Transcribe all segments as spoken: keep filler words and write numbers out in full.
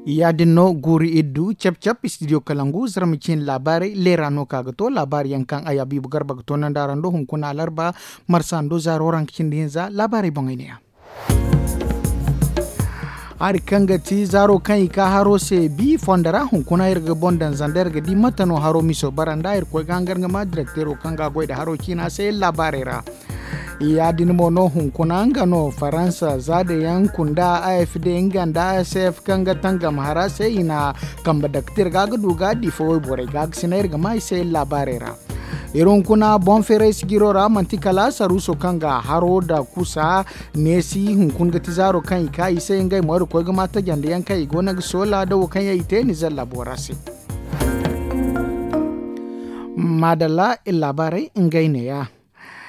Ya- din no guuri iddu cap-cap studio kalangu zarma ciine laabaarey leera no ka ga to laabaari yaŋ kaŋ a ya biibu garba ga to nanda ra ndo hunkuna alarba marsa ndo zaaro ranka cindi hinza laabaarey boŋey ne ya. Hari kaŋ ga ti zaaro kaŋ i ka haro se bi fondo ra hunkuna iri ga boŋ daŋ zanda iri ga di mate no haro miso bara nda iri koy ga hangar nga ma direkteero kaŋ ga a goy nda haro ciina se laabaarey ra. Ya- din mo no hunkuna nga no faransa za da yaŋ kunda a f d nga nda a s f kaŋ ga tangam hara se i na kambe daktir ga ga du ga di fo wayborey ga ga sina iri ga ma i se laabaarey ra. Iri hunkuna boŋ feeray sijiro ra manti kala saruuso kaŋ ga haro nda kusa neesi hunkuna ga ti zaaro kaŋ i ka i se ngey mo iri koy ga ma tajandi yaŋ kaŋ i go no ga soola da wo kaŋ yaŋ i te ni zalla boora se. Maadalla iri laabaarey ngey ne ya.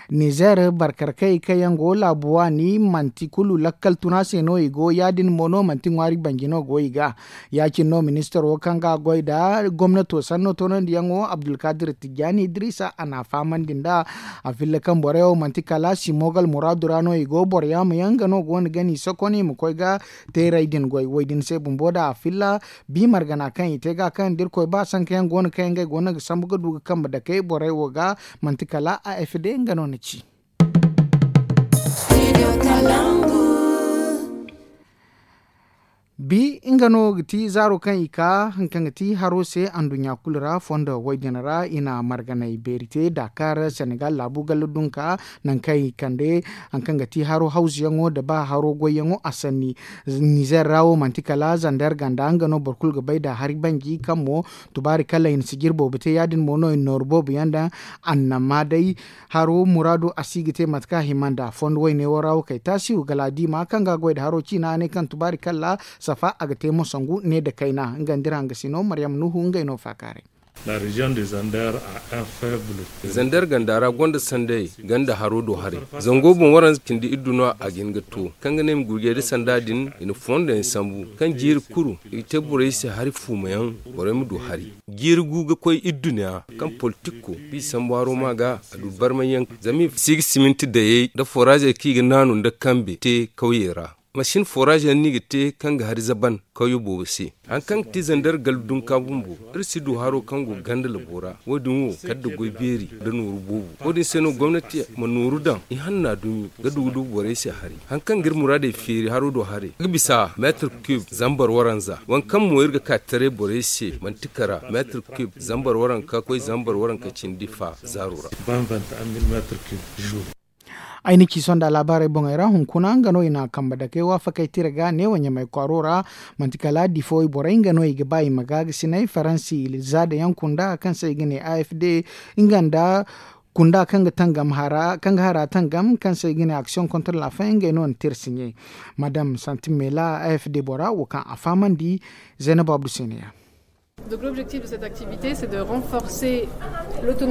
Nizer barkarkey kaŋ yaŋ go laabu waani manti kulu lakkal tuna se no i go ya- din mo no manti ŋwaari banji no go i ga. Ya- cine no ministaro kaŋ ga a goy nda gomnato sanno toonandiyaŋo abdulkadir tijjaani idrisa a na a fahamandi nda a filla kaŋ borey wo manti kala simogal muraadu ra no i go boro yaama yaŋ nga no go no ga ni sokon i ma koy ga teeray din goy wo- din se bumbo nda a filla bi margana kaŋ i te ga kaŋ da irkoy ba sanka yaŋ go no kaŋ yaŋ ngey go no ga sambu ga du ga kambe dake borey wo ga manti kala a f d nga no na ci. Bi nga no ga ti zaaro kaŋ i ka haŋ kaŋ ga ti haro se anduɲɲa kulu ra fondo wo- din ra i na marganay beeri te dakar senegal laabu galla dunka naŋ kaŋ i kande haŋ kaŋ ga ti haro hawzuyaŋo nda ba haro goyyaŋo a sanni. Nizer ra wo manti kala zander ganda nga no boro kulu ga bay nda hari banji kaŋ mo tubaari kala i na sijir boobo te ya- din mo no i na nooru boobo yaŋ daŋ. Annama day haro muraado a si ga te mate kaŋ a hima nda fondo wayne wo ra wo kay taasiw gala diima kaŋ ga a goy nda haro ciina a ne kaŋ tubaari kala safa a ga te mo sangu ne nda kayna nga nda iri hangasino maryam nuhu ngey no faakaaray. Zander ganda ra gonda sanday ganda haro do haray. Zango boŋ waranza cindi iddu no a ga hin ga to kaŋ ga ne i ma gurjey da sanda din i na fondo yaŋ sambu kaŋ jiiri kuru i ga te borey se hari fuuma yaŋ borey ma du hari. Jiiri gu ga koy idduna kaŋ politiko bi sambu haro ma ga a du barmay yaŋ zama i si ga siminti dayey nda foraazey kaŋ i ga naanu nda kambe te kawyey ra. Masin foraaz yaŋ no i ga te kaŋ ga hari zaban kawyo boobo se. Hari kaŋ ga ti zander gala dunka bumbo iri si du haro kaŋ go ganda labo ra wo- din wo kala nda goy beeri nda nooru boobo. Wo- din se no gomnati ma nooru daŋ i hanna dumi ga du ga du borey se hari. Hari kaŋ ga iri muraadey feeri haro do haray ga bisa meetir kub zambar waranza waŋ kaŋ mo iri ga ka taray borey se manti kara meetir kub zambar waranka koy zambar waranka cindi fa zaaro ra. Ay na ci sonda laabaarey boŋey ra hunkuna nga no i na a kambe dake waafakey tira ga neewo ɲamay kwaaro ra. Manti kala difo borey nga no i ga ba i ma gaagasinay faransi za da yaŋ kunda kaŋ se i ga ne a f d nga nda kunda kaŋ ga tangam hara kaŋ ga hara tangam kaŋ se i ga ne action contre la fin ngey no na tira siɲe. Madam santimela a f d bora wo kaŋ a fahamandi zaynab abdu se ne ya.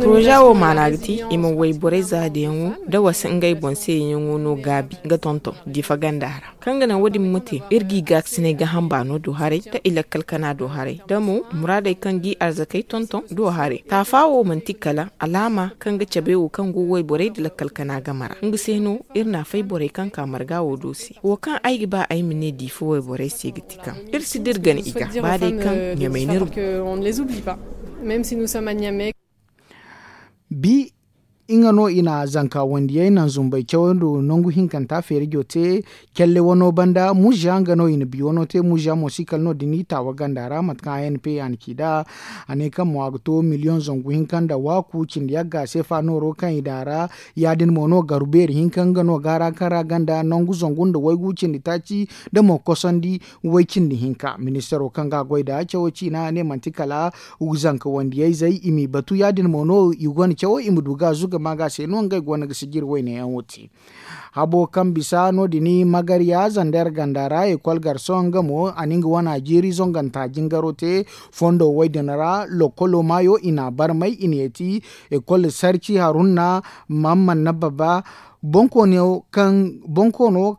Poroza wo maana ga ti i ma wayborey zaadiyaŋo da wasa ngey boŋ se yaŋo no gaabi ga tonton difa ganda ra kaŋ ga naŋ wo- din ma te iri g'i gaakasinay gaaham baano do haray da i lakkal kana do haray da mo muraadey kaŋ g'i arzakey tonton do haray taafa wo manti kala alaama kaŋ ga cabe wo kaŋ go wayborey da lakkal kana game ra nga se no iri na fay borey kaŋ ka marga wo do se wo kaŋ ay ga ba ay ma ne diifa wayborey se ga ti kaŋ iri si dira gana i ga ba day kaŋ ɲamay n'iri. Bi nga no i na zanka wandiyey naŋ zumbay cawando nangu hinkanta feerijo te. Calle wano banda muza nga no i na bi wano te muza mo si kala no din i taawa ganda ra mate kaŋ a n p a na ci da a ne kaŋ mo a ga to miliyoŋ zangu hinka nda waaku cindi yagga seefa nooro kaŋ i daŋ a ra. Ya- din mo no garu beeri hinka nga no gaara kaŋ ra ganda nangu zangu nda waygu cindi taaci da mo kosandi way cindi hinka ministaro kaŋ ga a goy da cawo ciina ne manti kala zanka wandiyayzey i m'i batu ya- din mo no i gonda cawo i ma du ga zuga ma ga se no ngey go no ga sijiri wayne yaŋo te. Habo kaŋ bisa no- din magarya zander ganda ra ekol garso nga mo a na nga wana jiiri zonganta jingaro te. Fondo way din ra lokolo maayo i na a barmay i na yeeti ekol sarci harunna mamman na baba. Bonkoono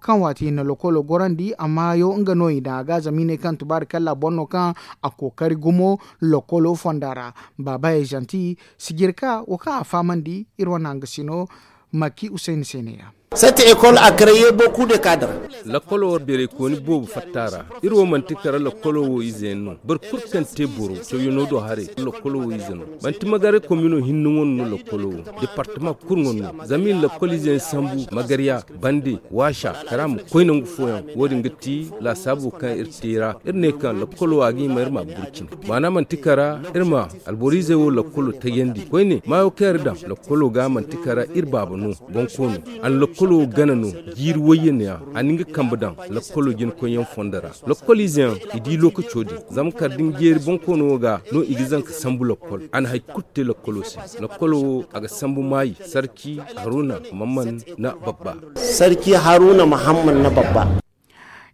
kaŋ waati i na lokolo gorandi a maayo nga no i daŋ a ga zama i ne kaŋ tubaari kalla boŋ no kaŋ a kookari gumo lokolo fonda ra. Baaba ejanti sijirka wo kaŋ a fahamandi iri wane hangasino maki usayni se ne ya. Sette ekol a kareye boku de kadara. Lakkolo war beeraykooni boobo fatta ra. Iri wo manti kara lakkolo wo ize yaŋ no. Boro kulu kaŋ te boro cawyaŋo do haray lakkolo wo ize no. Manti magare komino hinne wane no lakkolo wo. Departama kulu wane no zama iri lakkol ize yaŋ sambu magarya, bande, waasa, kara ma koy nangu fooyaŋ. Wo- din ga ti laasaabo kaŋ iri te ra. Iri ne kaŋ lakkolo a ga hima iri ma a burcin. Maana manti kara iri ma alboro izey wo lakkolo tayandi koyne maayo kaŋ iri daŋ lakkolo ga manti kara iri baaba no. Bonkoono a na lakkolo wo gana no. Jiiri wayye neeya a na nga kambe daŋ lakkolo jina koyyaŋ fondo ra. Lakkol ize yaŋ i di lookaco din zama kala da ni jeeri bonkoono wo ga no i ga zanka sambu lakkol. A na hari kulu te lakkolo se. Lakkolo wo a ga sambu maayi sarki haruna mamman na babba. Sarki haruna muhammad na babba.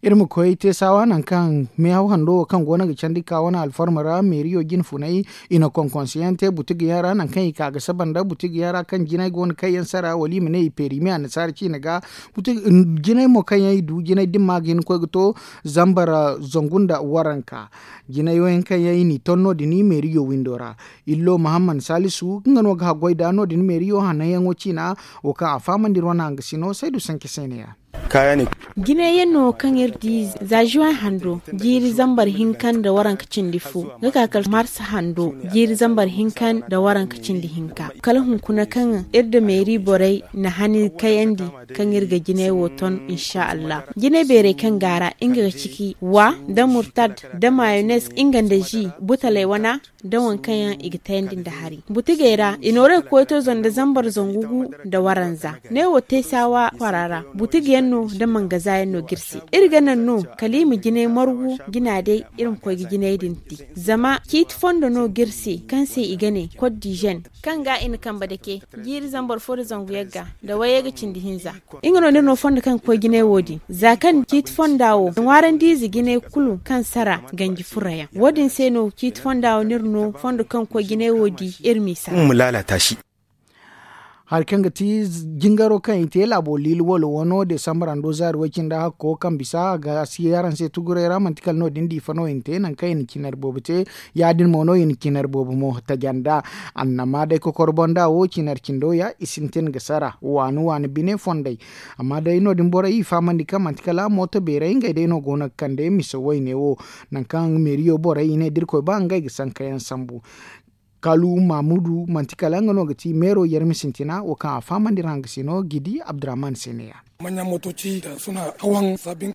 Iri ma koy teesawa nangu kaŋ meehaw hando wo kaŋ go no ga candi ka wane alfarma ra meeriyo jine funay. I na konkonse yaŋ te butigi yaŋ ra nangu kaŋ i ka ga saba nda butigi yaŋ ra kaŋ jinay go no kaŋ yaŋ sara wala i ma ne i peerimi annasaara ciine ga. Jinay mo kaŋ yaŋ i du jinay dimma ga hin ga koy ga to zambar zangu nda waranka. Jinay wo yaŋ kaŋ yaŋ i n'i ton no- din meeriyo windo ra. Illo muhammad salisu nga no ga haggoy nd'a no- din meeriyo hananyaŋo ciina. Wo kaŋ a fahamandi iri wane hangasino saydu sanke se neeya. Jinay yaŋ no kaŋ iri di za zuway hando jiiri zambar hinka nda waranka cindi fo ga ka kala mars hando jiiri zambar hinka nda waranka cindi hinka kala hunkuna kaŋ iri nda meeri borey na hani kayandi kaŋ iri ga jinay wo ton insa allah. Jinay beerey kaŋ gaara nga ga ciki wa nda murtad nda mayones nga nda zi butaley wana nda waŋ kaŋ yaŋ i ga tayandi nda hari butigey ra i noorey ga koy to zanda zambar zangu gu nda waranza. Ne wo te saawa kwara ra butigi yaŋ no nda mangaza yaŋ no ga iri se. Iri ga naŋ no kala i ma jinay margu jina day iri ma koy ga jinay din te. Zama ciiti fondo no ga iri se kaŋ se i ga ne kot dizen kaŋ ga i na kambe dake jiiri zambar fo nda zangu yagga nda wayey ga cindi hinza. Nga no ni iri no fondo kaŋ ga koy jinay wo- din za kaŋ ciiti fonda wo ŋwaarandi ize jinay kulu kaŋ sara ganji furra yaŋ wo- din se no ciiti fonda wo ni iri no fondo kaŋ ga koy jinay wo- din iri m'i sara. Hari kaŋ ga ti jingaro kaŋ i te laabo liili walo wano desambar hando zaari way-cindi hakko kaŋ bisa a ga si araŋ se tuguray ra manti kala no- din diifa no i na te nangu kaŋ i na cinar boobo te. Ya- din mo no i na cinar boobo mo tajanda. Annama day kokoro banda wo cinar cindo ya i sintin ga sara waani waani bine fondey. Amma day no- din borey i fahamandi kaŋ manti kala mooto beeray ngey day no go no ga kande mise wayne wo. Nangu kaŋ meeriyo borey i ne da irkoy ba ngey ga sankayaŋ sambu. Kalu mamudu manti kala nga no ga ti meero yarmi sintina wo kaŋ a fahamandi ra nga se no ga i di abdurrahman se neeya.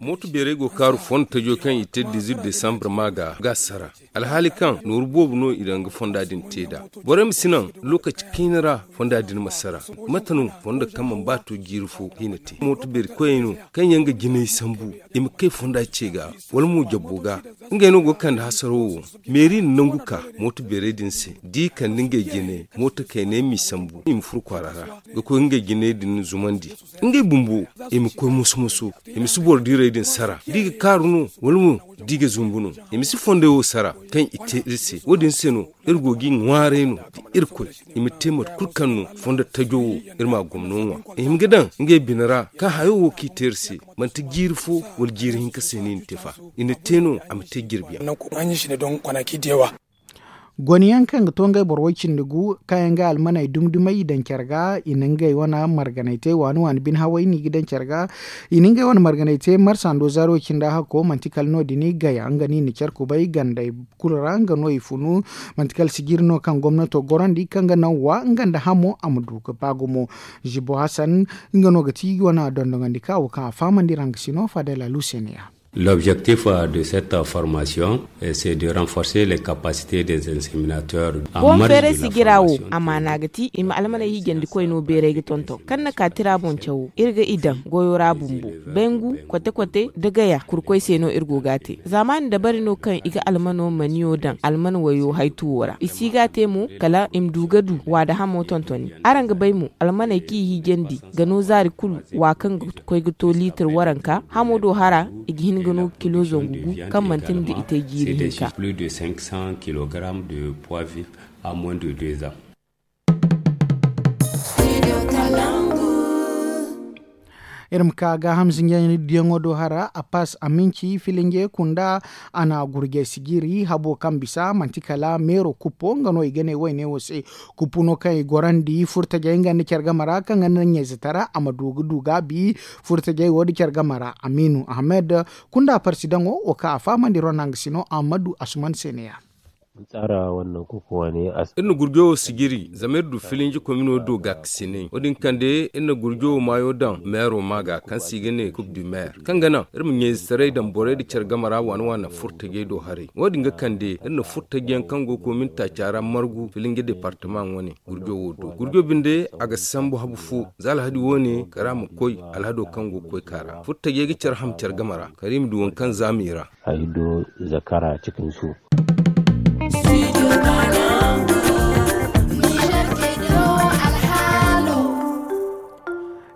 Mooto beerey go ga kaaru fondo tajo kaŋ i te dizuit desambre ma ga ga sara. Alhaali kaŋ nooru boobo no i daŋ ga fonda din te nd'a. Borey ma si naŋ lookaci kayna ra fonda din ma sara. Mate no fondo kaŋ mana ba to jiiri fo hina te mooto beeri koyey no kaŋ yaŋ ga jinay sambu i ma kay fonda ce ga wala mo jabbo ga. Ngey no go ga kande hasaro wo. Meeri na nangu ka mooto beerey din se da i kande ngey jinay mooto kayney m'i sambu i ma furo kwaara ra ga koy ngey jinay din zumandi. Ngey bumbo i ma koy moso-moso i ma si boro diirey din sara da i ga kaaru no wala mo da i ga zumbu no. I ma si fondey wo sara kaŋ i te iri se wo- din se no iri go ga i ŋwaaray no da irkoy i ma te mate kulu kaŋ no fondo tajo wo iri ma a gomno ŋwa. I hima ga daŋ ngey bine ra kaŋ hayo wo kaŋ i te iri se manti jiiri fo wala jiiri hinka se no i na te fa. I na te no a ma te jirbi yaŋ. Goniyaŋ kaŋ ga to ngey boro way-cindi gu kaŋ yaŋ ga almaney dumi-dumey i daŋ care ga i na ngey wane marganey te waani-waani bine haway no i ga daŋ care ga. I na ngey wane marganey te marsa ndo zaaro cindi a hakko manti kala no- din i gaya nga no i na care kubay gandey kulu ra nga no i funu. Manti kala sijiri no kaŋ gomnato gorandi kaŋ ga naŋ wa nga nda hamo a ma du ga ba gumo. Zibo hasan nga no ga ti wane dondonandi ka wo kaŋ a fahamandi ra nga si no fadala luseneya. L'objectif de cette formation c'est de renforcer les capacités des inséminateurs. Boŋ feeray sijira wo amaana ga ti i ma almaney hiijandikoy no beeray ga tonton kaŋ na ka tira boŋ cawo iri ga i daŋ goyo ra bumbo. Bengu kote-kote da gaya kurkoy se no iri go ga a te zaamaani dabari no kaŋ i ga almano maniyo daŋ alman wayo haytuwo ra i si ga a te mo kala i ma du ga du wa da hamo tontoni. Araŋ ga bay mo almaney kaŋ i hiijandi ga no zaari kulu wa kaŋ ga koy ga to liitir waranka hamo do hara i ga hin ga no kilo zangu gu kaŋ manti nga i te jiiri hinka. Plus de cinq cents kilogrammes de poids vif à moins de deux ans. Iri ma ka gaaham zinjandi diyaŋo do hara a paas a minci filinje kunda. A na gurjey sijiri habo kaŋ bisa manti kala meero kuppo nga no i ga ne wayne wo se. Kuppu no kaŋ i gorandi furtajey nga nda care game ra kaŋ ga naŋ ɲayze tara a ma du ga du gaabi. Furtajey wo nda care game ra amiinu ahamed kunda parsidaŋo wo kaŋ a fahamandi ronda nga sino ahammadu asuman se ne ya. Iri na gurjo wo sijiri zama iri du filinji komino do gaakasinay wo- din kande iri na gurjo wo maayo daŋ meero ma ga kaŋ se i ga ne kub du meer kaŋ ga naŋ iri ma ɲayzetaray daŋ borey nda care game ra waana waana furtajey do haray wo- din ga kande iri na furtaji yaŋ kaŋ go ga komin taaca ra margu filinji departama wane gurjo wo do gurjo binde a ga sambu habu fo za alhadi wo- ne kara ma koy alhado kaŋ go ga koy ka ra furtajey ga care ham care game ra kara i ma du waŋ kaŋ za ma i ra. Ay do zakara cikin su.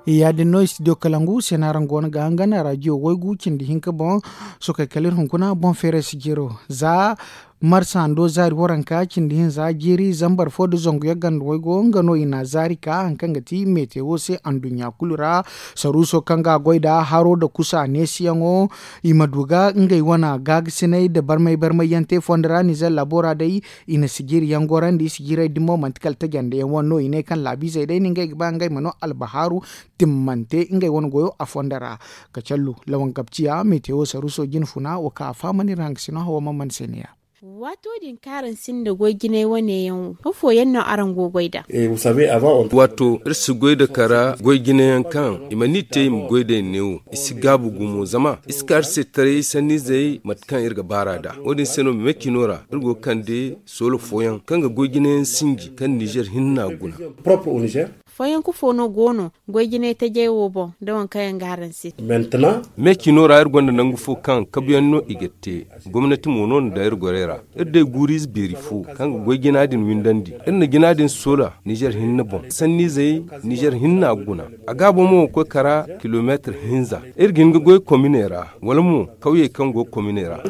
Ya- din no studio kalangu se no araŋ go no ga hangan rajiyo waygu cindi hinka boŋ. Sokey kala iri hunkuna boŋ feeray sijiro za marsa hando zaari waranka cindi hinza jiiri zambar fo nda zangu yaŋ ganda waygo nga no i na zaari ka hari kaŋ ga ti meete wo se anduɲɲa kulu ra. Saruuso kaŋ ga a goy nda haro nda kusa neesiyaŋo i ma du ga ngey wane gaagasinay nda barmay barmay yaŋ te fondo ra nizer labo ra day. I na sijiri yaŋ gorandi sijirey din mo manti kala tajandi yaŋ wane no i ne kaŋ laabiizey day no ngey ga ba ngey ma no albahaaru timmante ngey wane goyo a fondo ra. Kacallu lawan gabciya metewo saruuso jine funa wo kaŋ a fahamandi ra nga sino hawa man man se ne ya. Waato din kaŋ araŋ sinda goy jinay wane yaŋ wo afooyaŋ no araŋ go goy nd'a? Waato iri si goy nda kara goy jinayaŋ kaŋ i mana i te i ma goy nd'ey neewo i si gaabu gumo zama i si ka iri se taray sanniizey mate kaŋ iri ga baar'a nd'a wo- din se no meecino ra iri go ga kande soolo fooyaŋ kaŋ ga goy jinayaŋ sinji kaŋ nizer hinna guna. Fooyaŋ kufo no go no goy jinay tajey wo boŋ nda waŋ kaŋ yaŋ ga araŋ se? Meecino ra iri gonda nangu fo kaŋ kabuyaŋ no i ga te. Gomnati mo no na daŋ iri gorey ra. Iri day guuriize beeri fo kaŋ ga goy jina din windandi. Iri na jina din soola nizer hinne boŋ sanniizey nizer hinna guna. A gaabo mo ga koy kara kilomeetir hinza. Iri ga hin ga goy kominey ra wala mo kawyey kaŋ go kominey ra.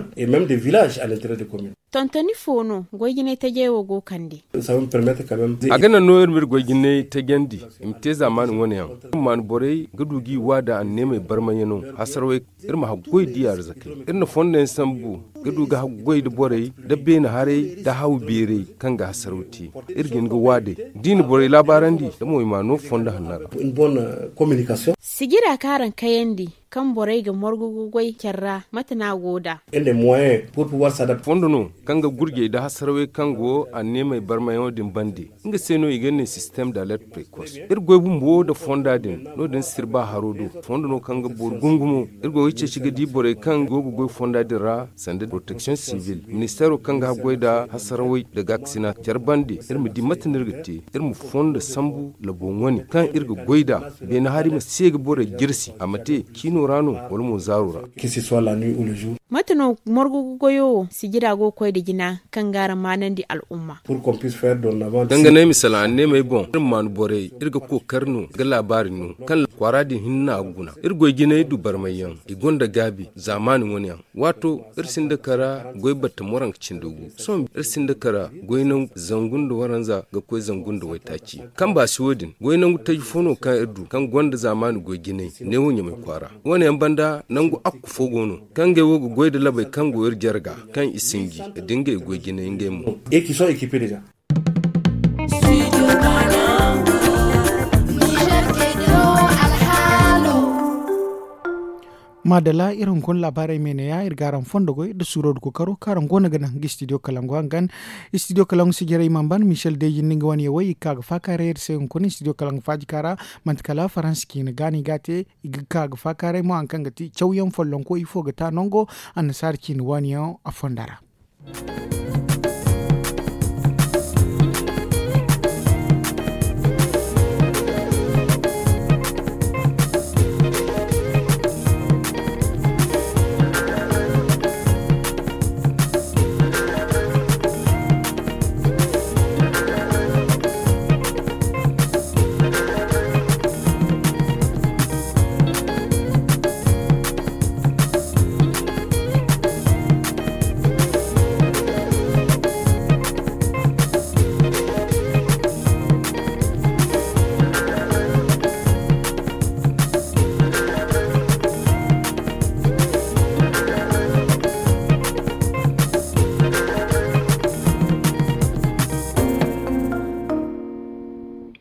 Tontoni fo no goy jinay tajey wo go ga kande? A ga naŋ no iri ma iri goy jinay tajandi i ma te zaamaani wane yaŋ. Iri ma maanu borey ga du ga i waada anneemey barmayaŋo hasarawey. Iri ma haggoy di arzakey iri na fondo yaŋ sambu ga du ga haggoy nda borey nda beene haray nda haw beerey kaŋ ga hasaraw te. Iri ga hin ga waadey da i na borey laabaarandi da mo i ma a no fondo hanno ra. Sijira kaŋ araŋ kayandi kaŋ borey ga morgu ga goy care ra mate no a go nd'a? Fondo no kaŋ ga gurjey nda hasarawey kaŋ go anneemey barmayaŋo din bande. Nga se no i ga ne sistem da alert prekos iri goy bumbo nda fonda din. No- din sirba haro do fondo no kaŋ ga boro gungumo. Iri go ga ceeci ga di borey kaŋ go ga goy fonda din ra sanda protection sivil ministeero kaŋ ga haggoy nda hasarawey nda gaakasina care bande iri ma di mate no iri ga te. Iri ma fondo sambu labo wane kaŋ iri ga goy nd'a. Beene hari ma se ga borey jirsi a ma te ciino ra no wala mo zaaro ra. Mate no morgu goyo wo sijira go ga koy nda jina kaŋ ga araŋ maanandi al'umma? Danga no ay ma salaŋ anneemey boŋ iri ma maanu borey iri ga kookari no ga laabaari no kaŋ kwaara din hinne a ga guna. Iri goy jinay du barmay yaŋ i gonda gaabi zaamaani wane yaŋ. Waato iri sinda kara goy batta moranka cindi gu sohõ iri sinda kara goy nangu zangu nda waranza ga koy zangu nda waytaaci. Kaŋ baasi wo- din goy nangu taji fo no kaŋ iri du kaŋ gonda zaamaani goy jinay neewo ɲamay kwaara. Wane yaŋ banda nangu akku fo go no kaŋ ngey wo ga goy nda labey kaŋ go iri jarga kaŋ i sinji da ngey goy jinay ngey mo. Maadalla iri hunkuna laabaarey me neeya iri ga araŋ fondo goy nda suuro nda kookaro kaŋ araŋ go no ga naŋ ga istidiyo kalangu hangan. Istidiyo kalangu sijiray i mana ban michel deejin nda nga wane yawey i ga ka ga faakaaray iri se hunkuna istidiyo kalangu faajika ra. Manti kala faransa ciine gaani ga a te. I ga ka ga faakaaray mo hari kaŋ ga ti cawyaŋ follonko ifo ga ta nango annasaara ciine waani yaŋ a fonda ra.